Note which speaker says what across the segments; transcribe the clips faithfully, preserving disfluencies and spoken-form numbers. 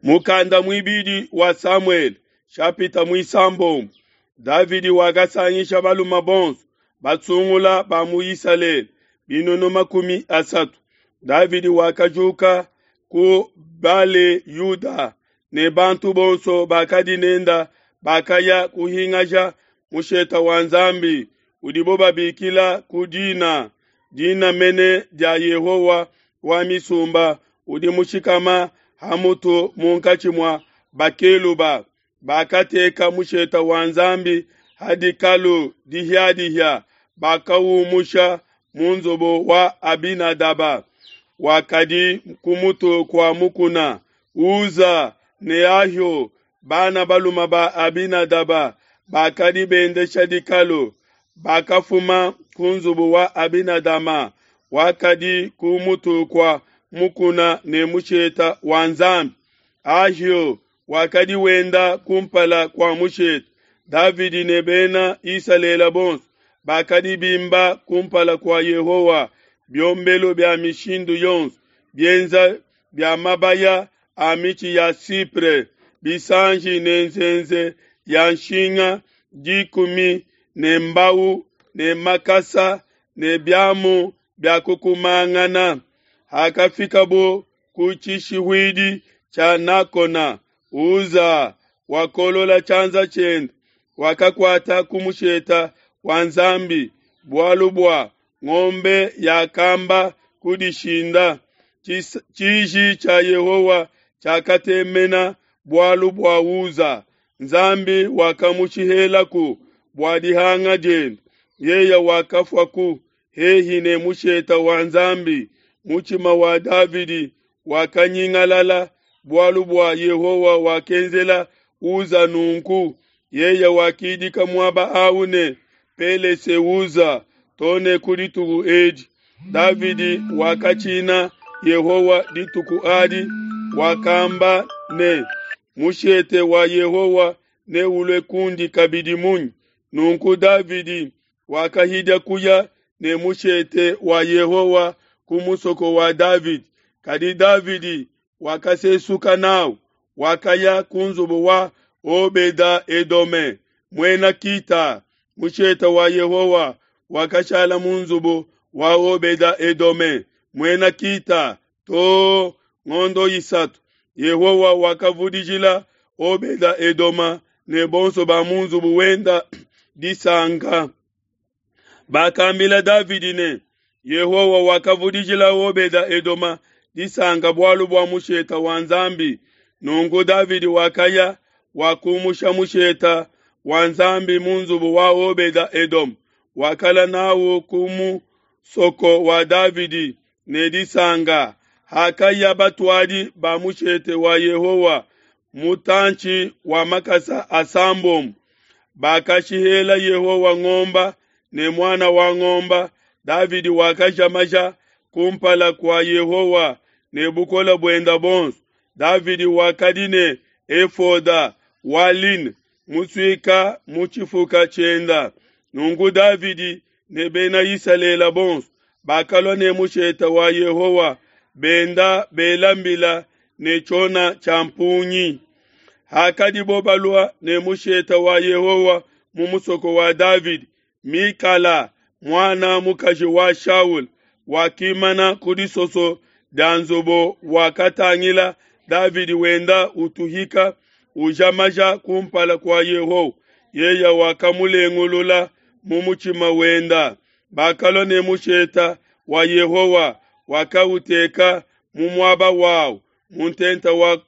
Speaker 1: Mukanda muibidi wa Samuele shapita muisambombo Davidi wakasangisha balume bonso basungula ba mu Isalele binunu makumi asatu. Davidi wakajuka ku Bale Yuda ne bantu bonso bakadi nenda bakaya kuhingaja musheta wa Nzambi udibo babikila ku dina dina mene dia Yehowa wa misumba udi mushikama ha mutu munkatshi mua bakeluba. Bakateka musheta wa Nzambi ha dikalu dihia-dihia, bakaumusha mu nzubu wa Abinadaba wakadi ku mutu kua mukuna. Uza ne Ahio, bana balume ba Abinadaba, bakadi bendesha dikalu. Bakafuma ku nzubu wa Abinadaba wakadi ku mutu kua mukuna ne musheta wa Nzambi. Ahio wakadi wenda kumpala kua mushete. Davidi ne bena Isalele bonso bakadi bimba kumpala kua Yehowa biombelu bia mishindu yonso bienza bia mabaya a mitshi ya cypre, bisanji ne nzenze ya nshinga dikumi ne mbau ne makasa ne biamu bia kukumangana. Hakafikabo ku tshishihuidi tshia Nakona, Uza wakolola tshianza tshiende, wakakuata ku musheta wa Nzambi, bualu bua ngombe yakamba kudishinda. Tshiji tshia Yehowa tshiakatemena bualu bua Uza, Nzambi wakamushihelaku bua dihanga diende. Yeye wakafuaku hehi ne musheta wa Nzambi. Mutshima wa Davidi wakanyingalala bualu bua Yehowa wakenzela Uza nunku. Yeye wakidika muaba au ne Pelese-Uza to ne ku dituku edi. Davidi wakatshina Yehowa dituku adi, wakamba ne, mushete wa Yehowa neulue kundi kabidi munyi? Nunku Davidi wakahidia kuya ne mushete wa Yehowa ku musoko wa Davidi. Kadi Davidi wakasesuka nawu, wakaya ku nzubu wa Obeda-Edome muena Kita. Mushete wa Yehowa wakashala mu nzubu wa Obeda-Edome muena Kita to ngondo isatu. Yehowa wakavudijila Obeda-Edoma ne bonso ba mu nzubu wenda disanka. Bakambila Davidi ne, Yehowa wakavudijila Obeda-Edoma disanka bualu bua musheta wa Nzambi. Nunku Davidi wakaya wakumusha musheta wa Nzambi mu nzubu wa Obeda-Edom, wakala nawu ku musoko wa Davidi ne disanka. Hakaya batuadi ba mushete wa Yehowa mutantshi wa makasa asambombo, bakashihela Yehowa ngomba ne muana wa ngomba. Davidi wakaja maja kumpala kua Yehowa ne bukole buenda bonso. Davidi wakadi ne efoda wa line musuika mu tshifuka tshienda. Nunku Davidi ne bena Isalele bonso bakalua ne mushete wa Yehowa benda bela mbila ne tshiona tshia mpungi. Hakadibo balua ne mushete wa Yehowa mu musoko wa Davidi, Mikala muana mukaji wa Shaul wakimana ku disoso dia nzubu, wakatangila Davidi wenda utuhika uja maja kumpala kua Yehowa. Yeye wakamulengulula mu mutshima wenda. Bakalua ne musheta wa Yehowa, wakauteka mu muaba wawu mu ntenta wa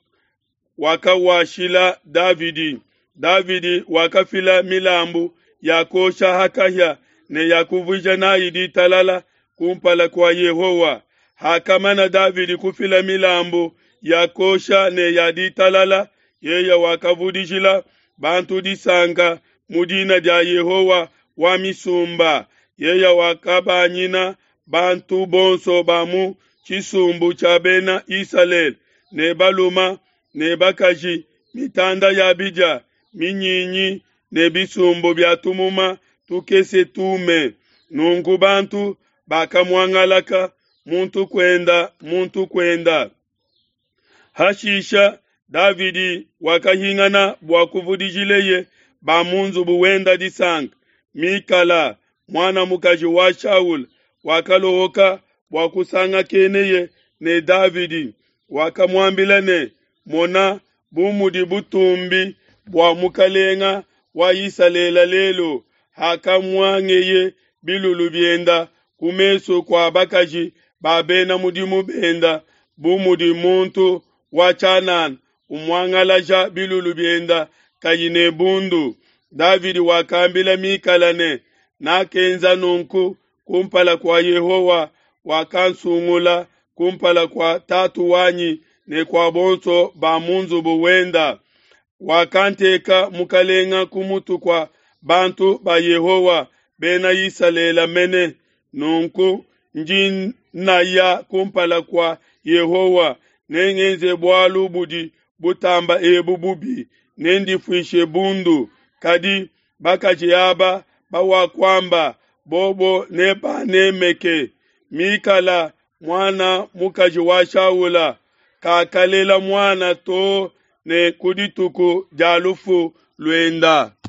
Speaker 1: wakawashila Davidi. Davidi wakafila milambu ya kuosha ha kahia ne ya kuvuija nayi ditalala kumpala kua Yehowa. Hakamana Davidi kufila milambu ya kuosha ne ya ditalala, yeye wakavudijila bantu disanka mu dina dia Yehowa wa misumba. Yeye wakabanyina bantu bonso ba mu tshisumbu tshia bena Isalele ne baluma ne bakaji mitanda ya bidia, minyinyi ne bisumbu bia tumuma tukese tume. Nunku bantu bakamuangalaka muntu kuenda muntu kuenda. Hashisha Davidi wakahingana bua kuvudijileye ba mu nzubu wenda disanka. Mikala, muana mukaji wa Shaula, wakalohoka bua kusangakeneye ne Davidi, wakamuambila ne, Mona bu mudi butumbi bua mukalenga wa Isalele lelu, hakamuangeye bilulu bienda ku mesu kua bakaji ba bena mudimu benda, bu mudi muntu wa tshianana umuangalaja bilulu bienda kayi ne bundu. Davidi wakambila Mikala ne, Nakenza nunku kumpala kua Yehowa wakansungula kumpala kua tatu wanyi ne kua bonso ba mu nzubu wenda. Wakanteka mukalenga ku mutu kua bantu ba Yehowa bena Isalele mene. Nunku ndi naya kumpala kua Yehowa, nengenze bualu budi butamba ebu bubi, nendifuishe bundu. Kadi bakaji aba bawakuamba, bobo nebanemeke. Mikala muana mukaji wa Shaula kakalela muana too ne ku dituku dia lufu luenda.